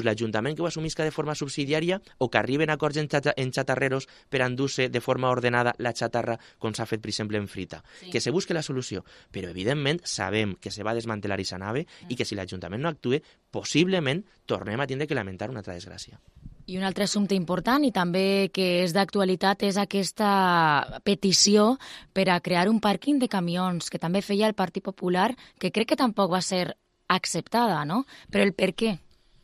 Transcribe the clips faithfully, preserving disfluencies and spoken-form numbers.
l'Ajuntament que ho assumisca de forma subsidiària o que arriben a acords en, xata, en xatarreros per endur-se de forma ordenada la xatarra, com s'ha fet, per exemple, en Frita. Sí. Que se busque la solució. Però, evidentment, sabem que se va desmantelar aquesta nave mm. i que si l'Ajuntament no actue, possiblement tornem a tindre que lamentar una altra desgràcia. I un altre assumpte important i també que és d'actualitat és aquesta petició per a crear un pàrquing de camions que també feia el Partit Popular, que crec que tampoc va ser acceptada, no? Però el per què?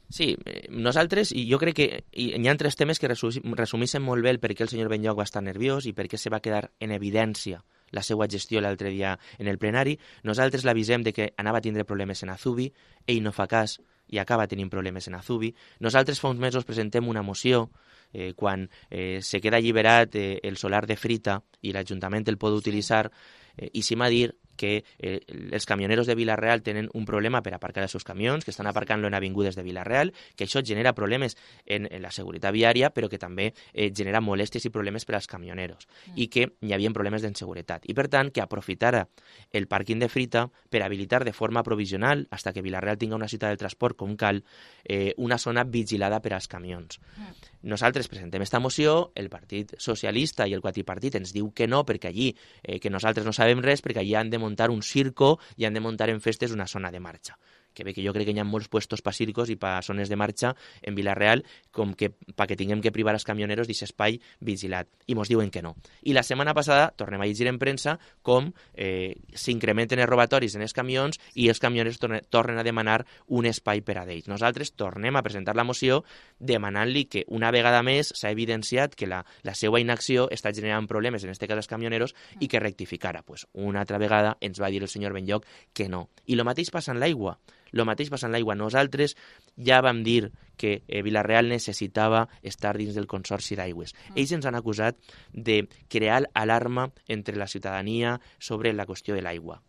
Sí, nosaltres, i jo crec que hi ha tres temes que resumissen molt bé el per què el senyor Benlloch va estar nerviós i per què se va quedar en evidència la seva gestió l'altre dia en el plenari. Nosaltres l'avisem de que anava a tindre problemes en Azubi, ell no fa cas i acaba tenint problemes en Azubi. Nosaltres fa uns mesos presentem una moció eh, quan eh, se queda alliberat eh, el solar de Frita i l'Ajuntament el pot utilitzar, eh, i sim a dir que eh, els camioneros de Vila-real tenen un problema per aparcar els seus camions, que estan aparcant-lo en avingudes de Vila-real, que això genera problemes en, en la seguretat viària, però que també eh, genera molèsties i problemes per als camioneros, mm. i que hi havia problemes d'inseguretat. I, per tant, que aprofitara el pàrquing de Frita per habilitar de forma provisional, fins que Vila-real tinga una ciutat de transport com cal, eh, una zona vigilada per als camions. Mm. Nosaltres presentem esta moció, el Partit Socialista i el quadripartit ens diu que no, perquè allí, eh, que nosaltres no sabem res, perquè allí han de muntar un circo i han de muntar en festes una zona de marxa. Que bé que jo crec que hi ha molts puestos pa circos i pa zones de marxa en Vila-real, com que pa que tinguem que privar els camioneros d'aquest espai vigilat. I mos diuen que no. I la setmana passada tornem a llegir en premsa com eh, s'incrementen els robatoris en els camions i els camioners tornen, tornen a demanar un espai per a d'ells. Nosaltres tornem a presentar la moció demanant-li que una vegada més s'ha evidenciat que la, la seva inacció està generant problemes, en aquest cas els camioneros, i que rectificara. Pues una altra vegada ens va dir el senyor Benlloch que no. I el mateix passa en l'aigua. El mateix passa en l'aigua. Nosaltres ja vam dir que eh, Vila-real necessitava estar dins del Consorci d'Aigües. Mm. Ells ens han acusat de crear alarma entre la ciutadania sobre la qüestió de l'aigua.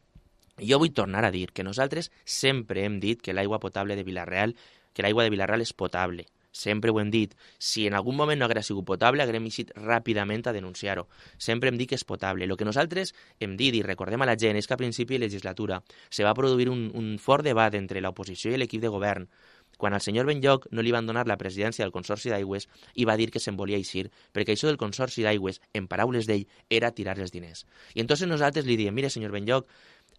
Jo vull tornar a dir que nosaltres sempre hem dit que l'aigua potable de Vila-real, que l'aigua de Vila-real és potable. Sempre ho hem dit. Si en algun moment no hagués sigut potable, haguem eixit ràpidament a denunciar-ho. Sempre hem dit que és potable. El que nosaltres hem dit, i recordem a la gent, és que a principi de legislatura se va produir un, un fort debat entre l'oposició i l'equip de govern, quan al senyor Benlloch no li van donar la presidència del Consorci d'Aigües i va dir que se'n volia eixir, perquè això del Consorci d'Aigües, en paraules d'ell, era tirar els diners. I entonces nosaltres li diem, mire, senyor Benlloch,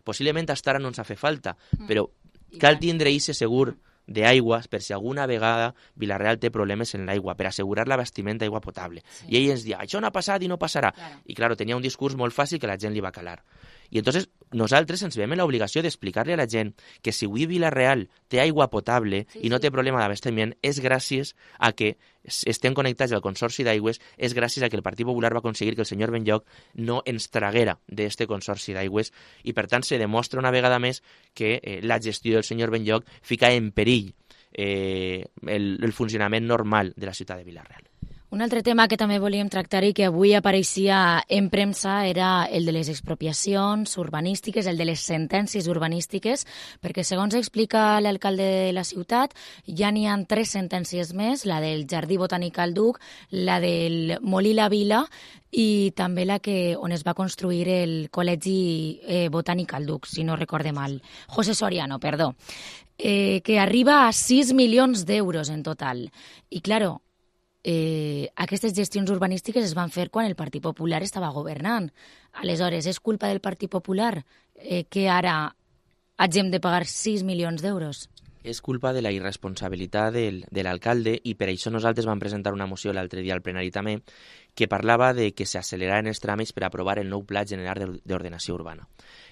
possiblement hasta ara no ens ha fet falta, però cal tindre eixe segur d'aigua per si alguna vegada Vila-real té problemes en l'aigua, per assegurar l'abastiment d'aigua potable. Sí. I ell ens diu, això no ha passat i no passarà. Claro. I, clar, tenia un discurs molt fàcil que la gent li va calar. I entonces nosaltres ens veiem en l'obligació d'explicar-li a la gent que si avui Vila-real té aigua potable sí, i no té problema d'abastiment, és gràcies a que estem connectats al Consorci d'Aigües, és gràcies a que el Partit Popular va aconseguir que el senyor Benlloch no ens traguera d'este Consorci d'Aigües, i per tant se demostra una vegada més que eh, la gestió del senyor Benlloch fica en perill eh, el, el funcionament normal de la ciutat de Vila-real. Un altre tema que també volíem tractar i que avui apareixia en premsa era el de les expropiacions urbanístiques, el de les sentències urbanístiques, perquè segons explica l'alcalde de la ciutat, ja n'hi ha tres sentències més, la del Jardí Botànic al Duc, la del Molí La Vila i també la que on es va construir el Col·legi eh, Botànic al Duc, si no recorde mal. José Soriano, perdó. Eh, que arriba a sis milions d'euros en total. I, claro, Eh, aquestes gestions urbanístiques es van fer quan el Partit Popular estava governant. Aleshores, és culpa del Partit Popular eh, que ara hagem de pagar sis milions d'euros? És culpa de la irresponsabilitat del, de l'alcalde, i per això nosaltres vam presentar una moció l'altre dia al plenari també, que parlava de que s'acceleraren els tràmits per aprovar el nou Pla General d'Ordenació Urbana.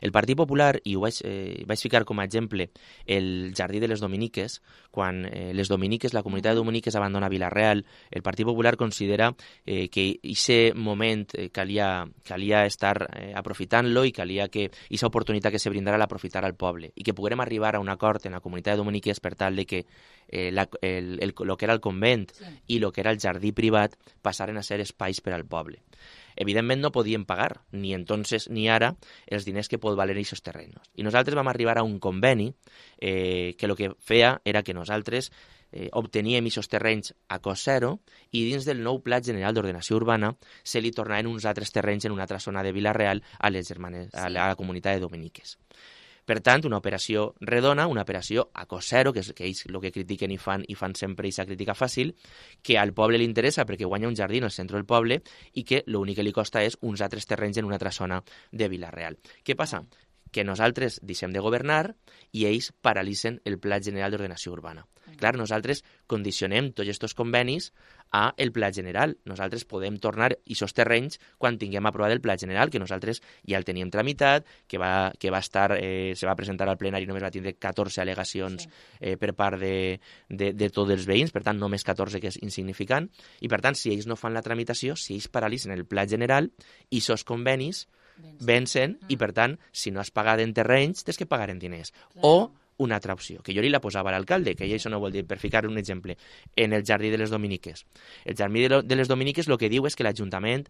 El Partit Popular, i ho vaig, eh, vaig ficar com a exemple el Jardí de les Dominiques, quan eh, les Dominiques, la comunitat de Dominiques abandona Vila-real, el Partit Popular considera eh, que aquest moment eh, calia, calia estar eh, aprofitant-lo i calia que aquesta oportunitat que se brindara l'aprofitar al poble i que poguérem arribar a un acord en la comunitat de Dominiques per tal de que eh, la, el, el, el que era el convent sí. i el que era el jardí privat passaren a ser espais per al poble. Evidentment no podien pagar, ni entonces ni ara, els diners que pot valer aquests terrenys. I nosaltres vam arribar a un conveni eh, que el que feia era que nosaltres eh, obteníem aquests terrenys a cost zero i dins del nou Pla General d'Ordenació Urbana se li tornaven uns altres terrenys en una altra zona de Vila-real a les germanes, a la, a la comunitat de Dominiques. Per tant, una operació redona, una operació a cost zero, que és que ells el que critiquen i fan, i fan sempre aquesta crítica fàcil, que al poble li interessa perquè guanya un jardí al centre del poble i que l'únic que li costa és uns altres terrenys en una altra zona de Vila-real. Què passa? Que nosaltres deixem de governar i ells paralitzen el Pla General d'Ordenació Urbana. Clar, nosaltres condicionem tots aquests convenis a el Pla General. Nosaltres podem tornar aquests terrenys quan tinguem aprovat el Pla General, que nosaltres ja el teníem tramitat, que va, que va estar, eh, se va presentar al plenari, només va tindre catorze al·legacions eh, per part de, de, de tots els veïns, per tant, només catorze, que és insignificant, i per tant, si ells no fan la tramitació, si ells paralitzen el Pla General, i aquests convenis vencen i, per tant, si no has pagat en terrenys, tens que pagar en diners. O una altra opció, que jo li la posava a l'alcalde, que això no vol dir, per ficar un exemple, en el Jardí de les Dominiques. El Jardí de les Dominiques el que diu és que l'Ajuntament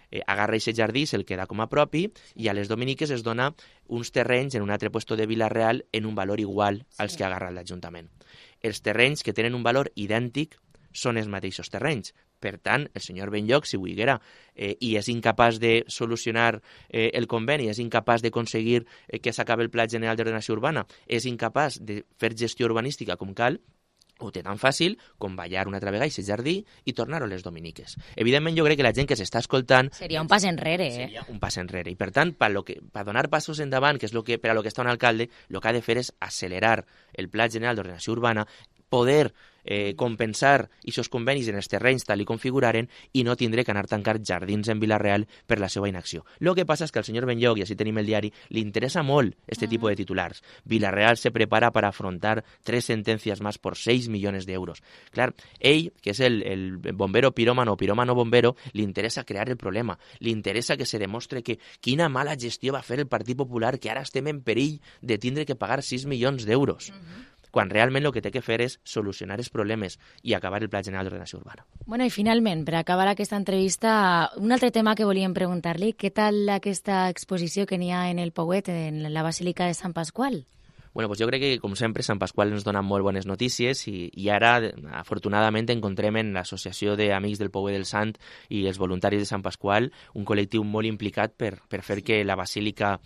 eh, agarra aquest jardí, se'l queda com a propi, i a les Dominiques es dona uns terrenys en un altre puesto de Vila-real en un valor igual als que agarra l'Ajuntament. Els terrenys que tenen un valor idèntic són els mateixos terrenys. Per tant, el senyor Benlloch, si volguera, eh, i és incapaç de solucionar eh, el conveni, és incapaç d'aconseguir eh, que s'acabi el Pla General d'Ordenació Urbana, és incapaç de fer gestió urbanística com cal, ho té tan fàcil com ballar una altra vegada a aquest jardí i tornar-ho a les Dominiques. Evidentment, jo crec que la gent que s'està escoltant... Seria un pas enrere, eh? Seria un pas enrere. I, per tant, per, lo que, per donar passos endavant, que és lo que, per a lo que està un alcalde, el que ha de fer és accelerar el Pla General d'Ordenació Urbana, poder eh, compensar aquests convenis en els terrenys tal i configuraren i no tindre que anar a tancar jardins en Vila-real per la seva inacció. El que passa és que al senyor Benlloch, i així tenim el diari, li interessa molt este uh-huh. tipus de titulars. Vila-real se prepara para afrontar tres sentencias más por seis millones de euros. Clar, ell, que és el, el bombero piròmano o piròmano bombero, li interessa crear el problema. Li interessa que se demostre que quina mala gestió va fer el Partit Popular, que ara estem en perill de tindre que pagar sis milions d'euros. Uh-huh. Quan realment el que té que fer és solucionar els problemes i acabar el Pla General d'Ordenació Urbana. Bueno, i finalment, per acabar aquesta entrevista, un altre tema que volíem preguntar-li, què tal aquesta exposició que n'hi ha en el Pouet, en la Basílica de Sant Pasqual? Bueno, pues jo crec que, com sempre, Sant Pasqual ens dona molt bones notícies i, i ara, afortunadament, encontrem en l'Associació d'Amics del Pouet del Sant i els voluntaris de Sant Pasqual un col·lectiu molt implicat per, per fer que la Basílica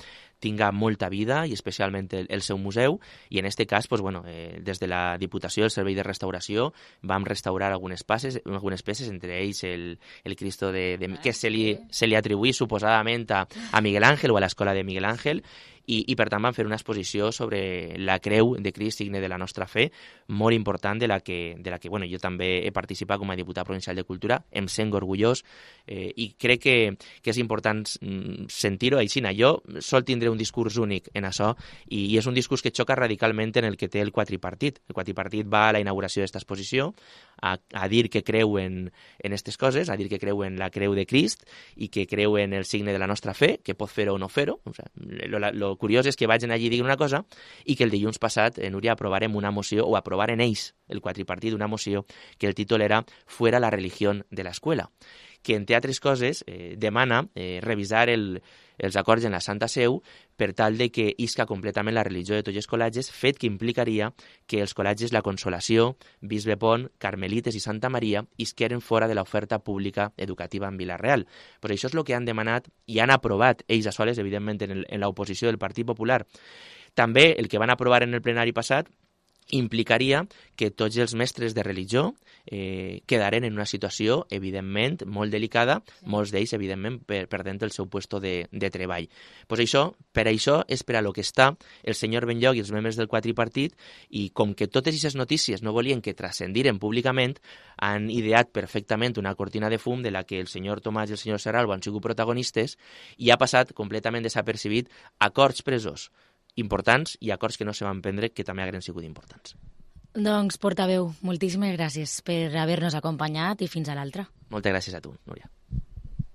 tinga molta vida i especialment el, el seu museu, i en aquest cas, pues, bueno, eh, des de la Diputació, el Servei de Restauració, vam restaurar algunes, passes, algunes peces, entre ells el, el Cristo de, de, que se li, se li atribuï suposadament a, a Miguel Ángel o a l'escola de Miguel Ángel, i, i per tant vam fer una exposició sobre la creu de Crist, signe de la nostra fe, molt important, de la que, de la que bueno, jo també he participat com a diputat provincial de Cultura, em sent orgullós, eh, i crec que, que és important sentir-ho així. Jo sol tindre un discurs únic en això, i, i és un discurs que xoca radicalment en el que té el quadripartit. El quadripartit va a la inauguració d'esta exposició a, a dir que creu en aquestes coses, a dir que creu en la creu de Crist i que creu en el signe de la nostra fe, que pot fer-ho o no fer-ho. O sigui, lo, lo curiós és que vagin allí i diguin una cosa i que el dilluns passat, eh, Núria, aprovarem una moció, o aprovaren ells, el quadripartit, una moció que el títol era «Fuera la religión de la escuela», que, entre altres coses, eh, demana eh, revisar el, els acords en la Santa Seu per tal de que isca completament la religió de tots els col·legis, fet que implicaria que els col·legis La Consolació, Bisbe Pont, Carmelites i Santa Maria isqueren fora de l'oferta pública educativa en Vila-real. Pues això és el que han demanat i han aprovat ells a soles, evidentment, en, el, en l'oposició del Partit Popular. També el que van aprovar en el plenari passat implicaria que tots els mestres de religió eh, quedaren en una situació, evidentment, molt delicada, sí. Molts d'ells, evidentment, per, perdent el seu puesto de, de treball. Pues això, per això és per a lo que està el senyor Benlloch i els membres del quadripartit, i com que totes aquestes notícies no volien que transcendiren públicament, han ideat perfectament una cortina de fum de la que el senyor Tomàs i el senyor Serralbo han sigut protagonistes i ha passat completament desapercibit acords presos importants i acords que no se van prendre que també hagueren sigut importants. Doncs, portaveu, moltíssimes gràcies per haver-nos acompanyat i fins a l'altra. Moltes gràcies a tu, Núria.